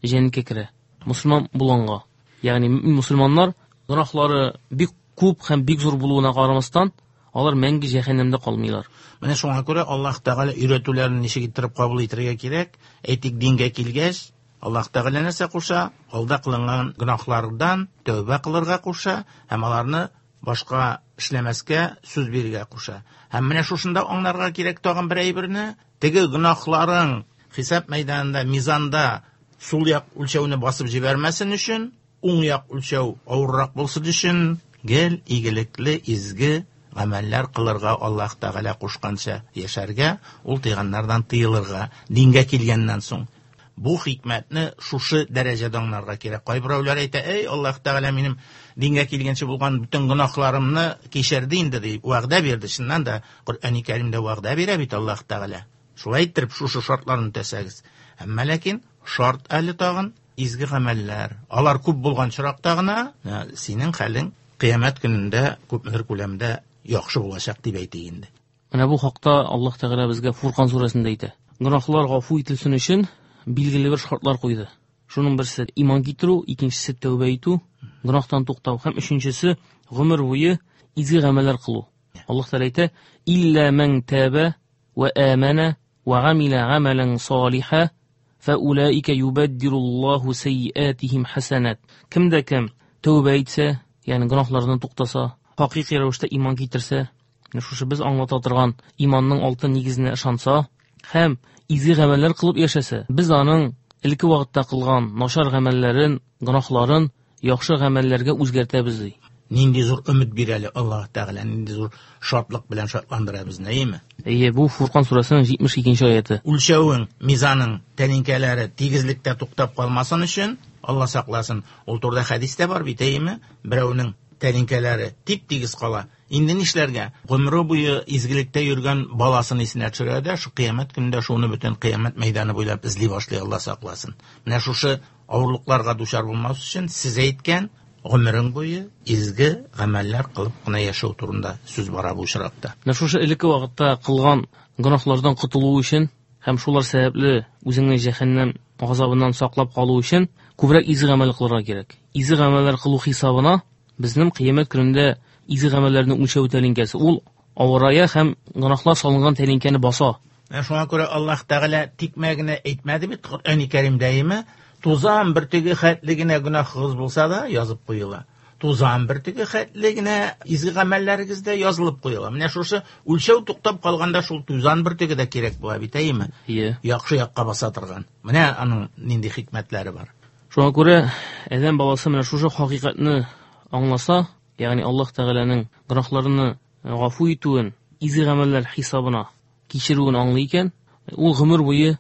җәннәткә керә. Мусульман булганга. Ягъни мусульманнар гөнаһлары бик күп һәм бик зур булуына карамастан, алар мәңге җәһәннәмдә калмыйлар. Менә шуңа күрә Аллаһ Тәгалә өйрәтүләрен ничек иттереп кабул итәргә кирәк? Әйтик, дингә килгәч, Аллаһ Тәгалә нәрсә куша? Алда кылынган гөнаһлардан тәүбә кылырга куша һәм аларны башка эшләмәскә сүз бирергә куша. Һәм менә шушында аңларга кирәк тагын бер әйберне. Теге гөнаһларың хисап мәйданында, мизанда сул як үлчәүне басып җибәрмәсен өчен, уң як үлчәү авыррак булсын өчен гел игелекле, изге гамәлләр кылырга Аллаһ Тәгалә кушканча яшәргә, ул тыйганнардан тыелырга, дингә килгәннән соң. Бу хикмәтне шушы дәрәҗәдә аңларга кирәк. Кайберәүләр әйтә, "Эй, Аллаһ Тәгалә минем дингә килгәнче булган бөтен гөнаһларымны кичерде инде" дип вәгъдә бирде. Чыннан да Коръәни Кәримдә вәгъдә бирә бит Аллаһ Тәгалә. Шулай иттереп шушы шартларны үтәсәгез. Әмма ләкин шарт әле тагын изге гамәлләр. Алар күп булган чиракта гына синең хәлең кыямәт көнендә күпмедер күләмдә яхшы булачак дип әйтик инде. Менә бу хакта Аллаһ Тәгалә безгә Фуркан сүрәсендә әйтә. Гөнаһлар гафу ителсен өчен билгеле бер шартлар куйды. Шуның берсе иман китерү, икенчесе тәүбә итү, гөнаһтан туктау һәм өченчесе гомер буе изге гамәлләр кылу. Менә. Аллаһ Тәгалә әйтә: "Илля ман таба ва амана ва гамила гамалан салиха фаулаика юбаддилуллаһу сайyiатихим хасанат". Кем дә кем тәүбә итсә, ягъни гөнаһлардан туктаса, хакыйкый рәвештә иман китерсә, менә шушы без аңлата торган иманның алтын нигезенә ышанса һәм изге гамәлләр кылып яшәсә, без аның элекке вакытта кылган начар гамәлләрен, гөнаһларын яхшы гамәлләргә үзгәртәбез ди. Нинди зур өмет бирә әле Аллаһ Тәгалә, нинди зур шатлык белән шатландыра безне, әйеме? Әйе, бу Фуркан сүрәсенең 72 аяты. Үлчәвең, мизаның тәлинкәләре тигезлектә туктап калмасын өчен, Алла сакласын, ул турыда хәдис тә бар бит, әйеме? Берәүнең тәлинкәләре тип-тигез кала. Инде нишләргә? Гомере буе изгелектә йөргән баласын исенә төшерә дә, шу кыямәт көнендә шуны бөтен кыямәт мәйданы буйлап эзли башлый, Алла сакласын. Менә шушы авырлыкларга дучар булмас өчен сез әйткән гомерең буе изге гамәлләр кылып кына яшәү турында сүз бара бу очракта. Менә шушы элекке вакытта кылган гөнаһлардан котылу өчен һәм шулар сәбәпле үзеңне җәһәннәм газабыннан саклап калу өчен күбрәк изге гамәл кылырга кирәк. Изге гамәлләр кылу хисабына безнең кыямәт көнендә изге гамәлләрне үлчәү тәлинкәсе ул авырая һәм гөнаһлар салынган тәлинкәне баса. Менә шуңа күрә Аллаһ Тәгалә тикмә генә әйтмәде бит Коръәни Кәримдә, әйеме? Тузан бөртеге хәтле генә гөнаһыгыз булса да язып куела. Тузан бөртеге хәтле генә изге гамәлләрегез дә язылып куела. Менә шушы үлчәү туктап калганда шул тузан бөртеге дә кирәк була бит, әйеме? Ие. Яхшы якка баса торган. Менә аның нинди хикмәтләре бар. Шуңа күрә адәм баласы менә шушы хакыйкатьне аңласа, ягъни Аллаһ Тәгаләнең гөнаһларны гафу итүен, изге гамәлләр хисабына кичерүен аңлый икән, ул гомер буе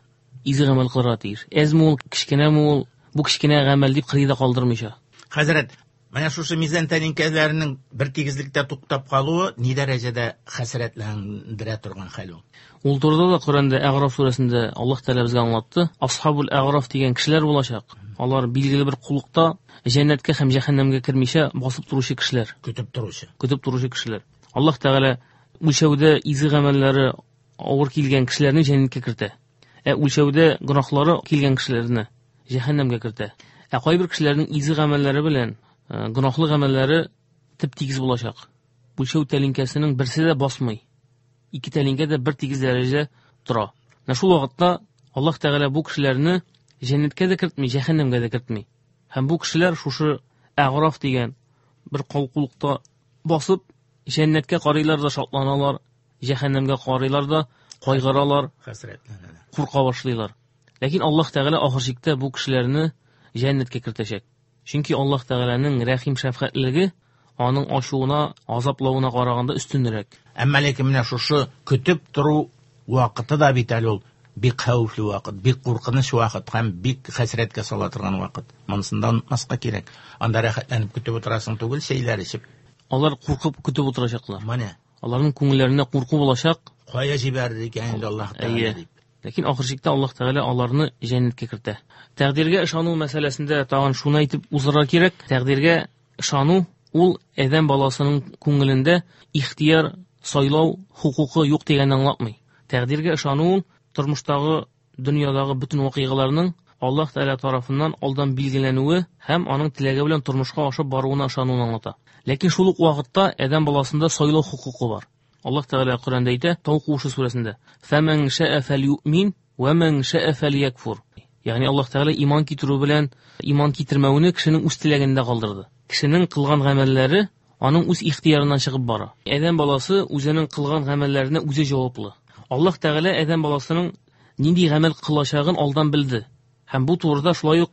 изге гамәл кылырга тиеш. Әзме ул, кечкенәме ул, бу кечкенә гамәл дип кырыйда калдырмыйча. Хәзрәт, менә шушы мизан тәлинкәләренең бер тигезлектә туктап калуы ни дәрәҗәдә хәсрәтләндерә торган хәл ул? Ул турыда да Коръәндә Әгъраф сүрәсендә Аллаһ Тәгалә безгә аңлатты. Асхабул Әгъраф дигән кешеләр булачак. Алар билгеле бер куллыкта җәннәткә һәм җәһәннәмгә кермичә басып торучы кешеләр. Көтеп торучы. Көтеп торучы кешеләр. Аллаһ Тәгалә үлчәүдә изге гамәлләре авыр килгән кешеләрне җәннәткә кертә. Ә үлчәүдә гөнаһлары килгән кешеләрне җәһәннәмгә кертә. Ә кайбер кешеләрнең изге гамәлләре белән гөнаһлы гамәлләре тип-тигез булачак. Үлчәү тәлинкәсенең берсе дә басмый. Ике тәлинкә дә бер тигез дәрәҗәдә тора. Менә шул вакытта Аллаһ Тәгалә бу кешеләрне җәннәткә дә кертми, җәһәннәмгә дә кертми. Һәм бу кешеләр шушы Әгъраф дигән бер калкулыкта басып, җәннәткә карыйлар да шатланалар, җәһәннәмгә карыйлар да кайгыралар, хәсрәтләнәләр, курка башлыйлар. Ләкин Аллаһ Тәгалә ахыр чиктә бу кешеләрне җәннәткә кертәчәк. Чөнки Аллаһ Тәгаләнең рәхим шәфкатьлелеге аның ачуына, азаплавына караганда өстенрәк. Әмма ләкин менә шушы көтеп тору вакыты да бит әле ул бик хәвефле вакыт, бик куркыныч вакыт һәм бик хәсрәткә сала торган вакыт. Монысын да онытмаска кирәк. Анда рәхәтләнеп көтеп утырасың түгел, чәйләр эчеп. Алар куркып көтеп утырачаклар. Менә. Аларның күңелләрендә курку булачак. Кая җибәрер икән инде Аллаһ Тәгалә дип. Ләкин ахыр чиктә Аллаһ Тәгалә аларны җәннәткә кертә. Тәкъдиргә ышану мәсьәләсендә тагын шуны әйтеп узарга кирәк. Тәкъдиргә ышану ул адәм баласының күңелендә ихтияр сайлау хокукы юк дигәнне аңлатмый. Тәкъдиргә ышану ул тормыштагы, дөньядагы бөтен вакыйгаларның Аллаһ Тәгалә тарафыннан алдан билгеләнүе һәм аның теләге белән тормышка ашып баруына ышануны аңлата. Ләкин шул ук вакытта адәм баласында сайлау хокукы бар. Аллаһ Тәгалә Коръәндә әйтә, Тау куышы сүрәсендә: "Фәмән шәә фәлюмин ва мән шәә фәльякфур". Ягъни Аллаһ Тәгалә иман китерү белән иман китермәүне кешенең үз теләгендә калдырды. Кешенең кылган гамәлләре аның үз ихтыярыннан чыгып бара. Адәм баласы үзенең кылган гамәлләренә үзе җаваплы. Аллаһ Тәгалә адәм баласының нинди гамәл кылачагын алдан белде. Һәм бу турыда шулай ук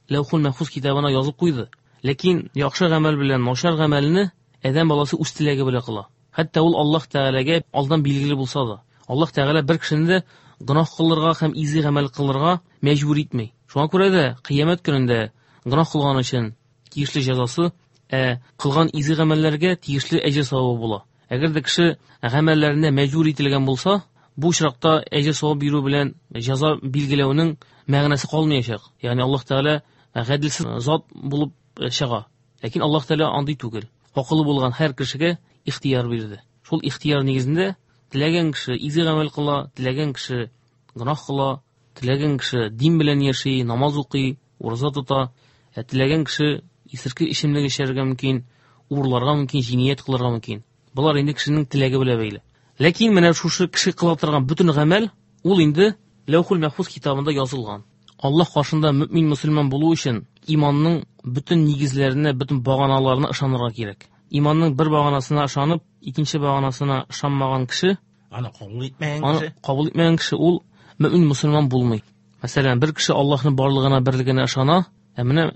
Ләүхул Мәхфуз китабына язып куйды. Ләкин яхшы гамәл белән начар гамәлне адәм баласы үз теләге белән кыла. Хәтта ул Аллаһ Тәгаләгә алдан билгеле булса да. Аллаһ Тәгалә бер кешене дә гөнаһ кылырга һәм изге гамәл кылырга мәҗбүр итми. Шуңа күрә дә кыямәт көнендә гөнаһ кылган өчен тиешле җәзасы, ә кылган изге гамәлләргә тиешле әҗер савабы була. Әгәр дә кеше гамәлләренә мәҗбүр ителгән булса, бу очракта әҗер савап бирү белән җәза билгеләүнең мәгънәсе калмаячак. Ягъни Аллаһ Тәгалә гаделсез зат булып чыга. Ләкин Аллаһ Тәгалә андый түгел. Акылы булган һәр кешегә ихтияр бирде. Шул ихтияр нигезендә теләгән кеше изге гамәл кыла, теләгән кеше гөнаһ кыла, теләгән кеше дин белән яши, намаз укый, ураза тота, ә теләгән кеше исерке эчемлек эчәргә мөмкин, урларга мөмкин, җинаять кылырга мөмкин. Болар инде кешенең теләге белән бәйле. Ләкин менә шушы кеше кыла торган бөтен гамәл ул инде Ләүхул Мәхфуз китабында язылган. Аллаһ каршында мөмин мөселман булу өчен иманның бөтен нигезләренә, бөтен баганаларына ышанырга кирәк. Иманның бер баганасына ышанып, икенче баганасына ышанмаган кеше, аны кабул итмәгән кеше, аны кабул итмәгән кеше ул мөмин мөселман булмый. Мәсәлән, бер кеше Аллаһның барлыгына, берлегенә ышана, ә менә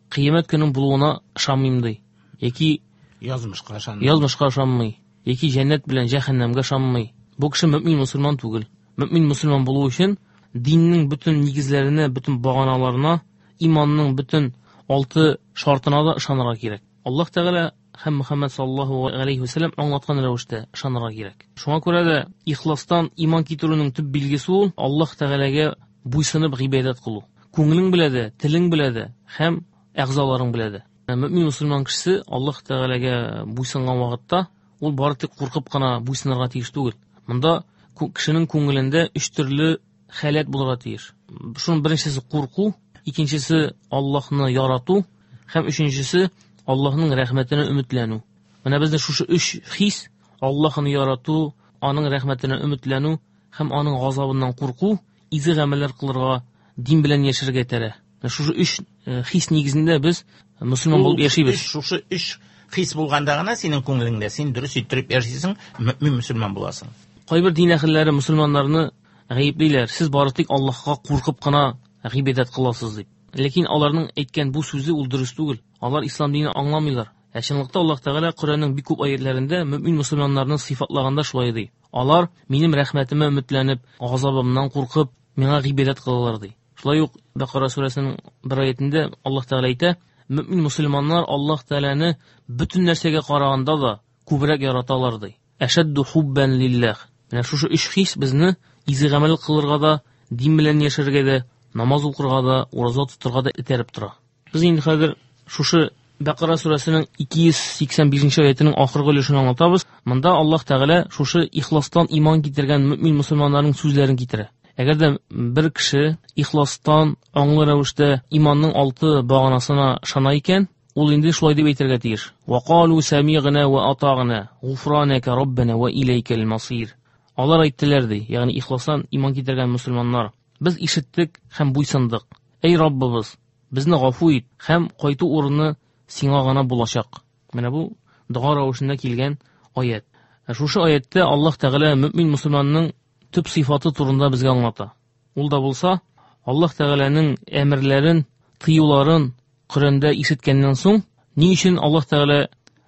кыямәт көненең булуына ышанмыйм ди. Яки язмышка ышанмый. Язмышка ышанмый. Яки җәннәт белән җәһәннәмгә ышанмый. Бу кеше мөмин мөселман түгел. Мөмин мөселман булу өчен диннең бөтен нигезләренә, бөтен баганаларына, иманның бөтен 6 шартына да ышанырга кирәк. Аллаһ Тәгалә һәм Мөхәммәд саллаллаһу алейхи ва сәлләм аңлаткан рәвештә ышанырга кирәк. Шуңа күрә дә ихластан иман китерүнең төп билгесе ул Аллаһ Тәгаләгә буйсынып гыйбадәт кылу. Күңелең белә дә, телең белә дә һәм әгъзаларың белә дә. Мөмин мөселман кешесе Аллаһ Тәгаләгә буйсынган вакытта ул бары тик куркып кына буйсынырга тиеш түгел. Монда кешенең күңелендә өч төрле халәт булырга тиеш. Шуның беренчесе курку, икенчесе Аллаһны ярату һәм өченчесе Аллаһның рәхмәтенә өметләнү. Менә безнең шушы өч хис: Аллаһны ярату, аның рәхмәтенә өметләнү һәм аның газабыннан курку, изге гамәлләр кылырга, дин белән яшәргә этәрә. Менә шушы өч хис нигезендә без мөселман булып яшибез. Шушы өч хис булганда гына синең күңелеңдә син дөрес иттереп яшисең, мөмин мөселман буласың. Кайбер дин әһелләре мөселманнарны гаеплиләр. Сез бары тик Аллаһка куркып кына гыйбадәт кыласыз дип. Ләкин аларның әйткән бу сүзе ул дөрес түгел. Алар ислам динен аңламыйлар. Ә чынлыкта Аллаһ Тәгалә Коръәннең бик күп аятләрендә мөмин мөселманнарны сыйфатлаганда шулай ди. Алар минем рәхмәтемә өметләнеп, газабымнан куркып, миңа гыйбадәт кылалар ди. Шулай ук Бакара сүрәсенең бер аятендә Аллаһ Тәгалә әйтә: мөмин мөселманнар Аллаһ Тәгаләне бөтен нәрсәгә караганда да күбрәк яраталар ди. Әшәдду хуббан лиллах. Менә шушы өч хис безне изге гамәл кылырга да, дин белән яшәргә дә, намаз укырга да, ураза тотырга да этәреп тора. Без инде хәзер шушы Бакара сүрәсенең 285 аятының ахыргы өлешен аңлатабыз. Монда Аллаһ Тәгалә шушы ихластан иман китергән мөмин мөселманнарның сүзләрен китерә. Әгәр дә бер кеше ихластан аңлы рәвештә иманның 6 баганасына ышана икән, ул инде шулай дип әйтергә тиеш. Ва калу самигъна ва атагъна, гуфранака раббана ва илайкал масир. Алар әйттеләр ди, ягъни ихластан иман китергән мөселманнар: без ишеттек һәм буйсындык. Эй Раббыбыз, безне гафу ит һәм кайту урыны сиңа гына булачак. Менә бу дога рәвешендә килгән аят. Шушы аяттә Аллаһ Тәгалә мөмин мөселманның төп сыйфаты турында безгә аңлата. Ул да булса, Аллаһ Тәгаләнең әмерләрен, тыюларын Коръәндә ишеткәннән соң, ни өчен Аллаһ Тәгалә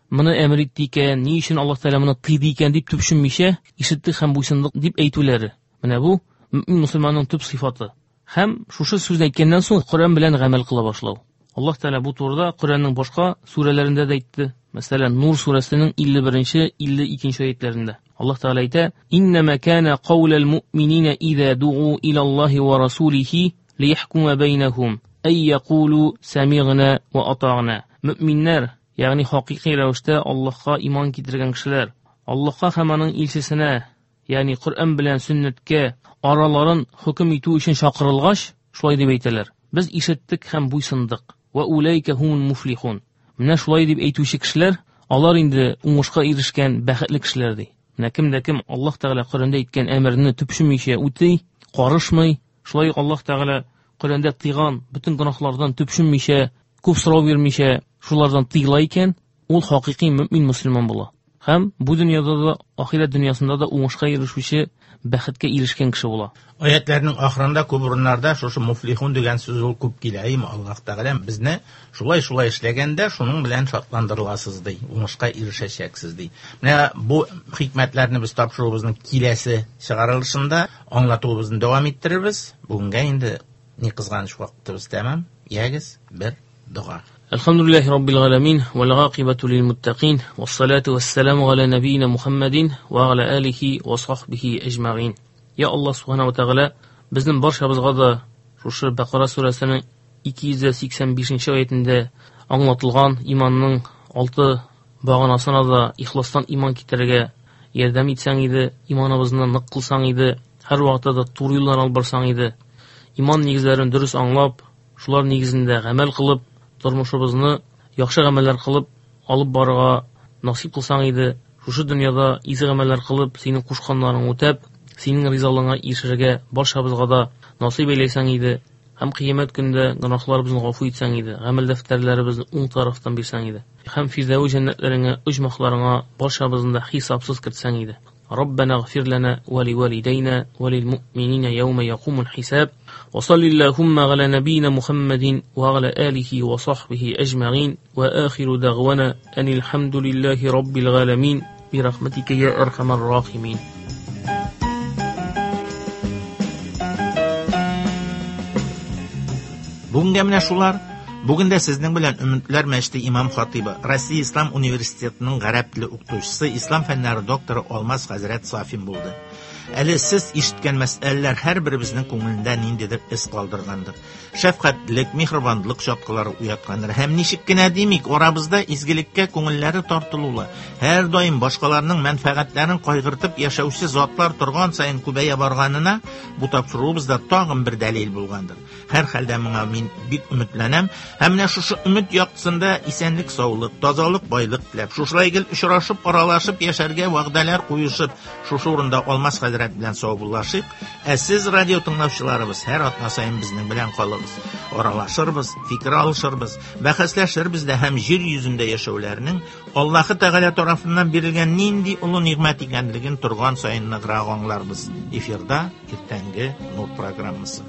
моны әмер итте икән, ни өчен Аллаһ Тәгалә моны тыйды икән дип төпченмичә, ишеттек һәм буйсындык дип әйтүләре. Менә бу мөмин мөселманның төп сыйфаты. Һәм шушы сүзне әйткәннән соң Коръән белән гамәл кыла башлау. Аллаһ Тәгалә бу турыда Коръәннең башка сүрәләрендә дә әйтте. Мәсәлән, Нур сүрәсенең 51-нче, 52-нче аятләрендә. Аллаһ Тәгалә әйтә: "Иннама кана каулал муъминина иза дуу илаллаһи ва расулихи лияхкума бәйнәһум ай якулу самигъна ва атагъна." Мөминнәр, ягъни хакыйкый рәвештә Аллаһка иман китергән кешеләр, Аллаһка һәм аның илчесенә, ягъни Коръән белән сөннәткә араларын хөкем итү өчен чакырылгач, шулай дип әйтәләр: без ишеттек һәм буйсындык. Ва улайка хумул муфлихун. Менә шулай дип әйтүче кешеләр, алар инде уңышка ирешкән бәхетле кешеләр ди. Менә кем дә кем Аллаһ Тәгалә Коръәндә әйткән әмерне төпченмичә үти, карышмый, шулай ук Аллаһ Тәгалә Коръәндә тыйган бөтен гөнаһлардан төпченмичә, күп сорау бирмичә, шулардан тыела икән, ул хакыйкый мөмин мөселман була. Һәм бу дөньяда да, ахирәт дөньясында да уңышка ирешүче, бәхеткә ирешкән кеше була. Аятларның ахырында күп урыннарда шушы муфлихун дигән сүз ул күп килә. Әйме, Аллаһ Тәгалә безне шулай-шулай эшләгәндә шуның белән шатландырыласыз ди, уңышка ирешәчәксез ди. Менә бу хикмәтләрне без тапшыруыбызның киләсе чыгарылышында аңлатуыбызны дәвам иттерербез. Бүгенгә инде ни кызганыч вакытыбыз тәмам. Ягез, бер дога. Әлхәмдүлилләһи раббил галәмин вәл гакыйбату лил муттакин вассалату вассаламу аля набийна Мухаммадин ва аля алихи ва сахбихи әҗмәгин. Я Аллаһ субхана ва тәгалә, безнең барчабызга да шушы Бакара сүрәсенең 285 аятендә аңлатылган иманның 6 баганасына да ихластан иман китерергә ярдәм итсәң иде, иманыбызны нык кылсаң иде, һәр вакытта да туры юлдан алып барсаң иде. Иман нигезләрен дөрес аңлап, шулар нигезендә гамәл кылып, тормышыбызны яхшы гамәлләр кылып алып барырга насыйп кылсаң иде. Шушы дөньяда изге гамәлләр кылып, синең кушканнарыңны үтәп, синең ризалыгыңа ирешергә барчабызга да насыйп әйләсәң иде. Һәм кыямәт көндә гөнаһларыбызны гафу итсәң иде, гамәл дәфтәрләребезне уң тарафтан бирсәң иде. Һәм фирдәү җәннәтләреңә, оҗмахларыңа барчабызны да хисапсыз кертсәң иде. ربنا اغفر لنا ولوالدينا وللمؤمنين يوم يقوم الحساب وصل اللهم على نبينا محمد وعلى آله وصحبه أجمعين وآخر دعوانا أن الحمد لله رب العالمين برحمتك يا أرحم الراحمين. Бүгенгә менә шулар. Бүген дә сезнең белән Өметләр мәчете имам хатибы, Россия Ислам университетының гарәп теле укытучысы, ислам фәннәре докторы Алмаз хәзрәт Сафин булды. Әле сез ишеткән мәсьәләләр һәрберебезнең күңелендә ниндидер эз калдыргандыр. Шәфкатьлек, миһербанлык чаткылары уяткандыр. Һәм ничек кенә димик, арабызда изгелеккә күңелләре тартылулы, һәр даим башкаларның мәнфәгатьләрен кайгыртып яшәүче затлар торган саен күбәя барганына бу тапшыруыбызда тагын бер дәлил булгандыр. Һәр хәлдә моңа мин бик өметләнәм. Һәм менә шушы өмет яктысында исәнлек, саулык, тазалык, байлык теләп, шушылай гел очрашып, аралашып яшәргә вәгъдәләр куешып, шушы урында Алмаз хәзрәт белән саубуллашыйк. Ә сез радио тыңлаучыларыбыз һәр атна саен безнең белән калыгыз. Аралашырбыз, фикер алышырбыз, бәхәсләшербез дә һәм җир йөзендә яшәүләрнең Аллаһы Тәгалә тарафыннан бирелгән нинди олы нигъмәт икәнлеген торган саен ныграк аңларбыз. Эфирда иртәнге Нур программасы.